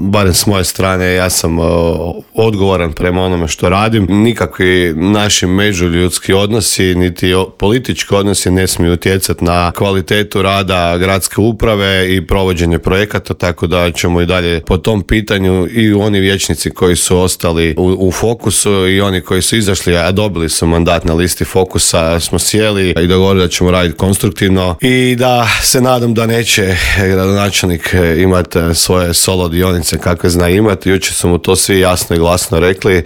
barem s moje strane, ja sam odgovoran prema onome što radim. Nikakvi naši međuljudski odnosi, niti politički odnosi ne smiju utjecati na kvalitetu rada gradske uprave i provođenje projekata, tako da ćemo i dalje po tom pitanju i oni vijećnici koji su ostali u fokusu i oni koji su izašli, a dobili su mandat na listi fokusa, smo sjeli i dogovorili da ćemo raditi konstruktivno i da se nadam da neće gradonačelnik imati svoje solo dionice kakve zna imati. Jučer su mu to svi jasno i glasno rekli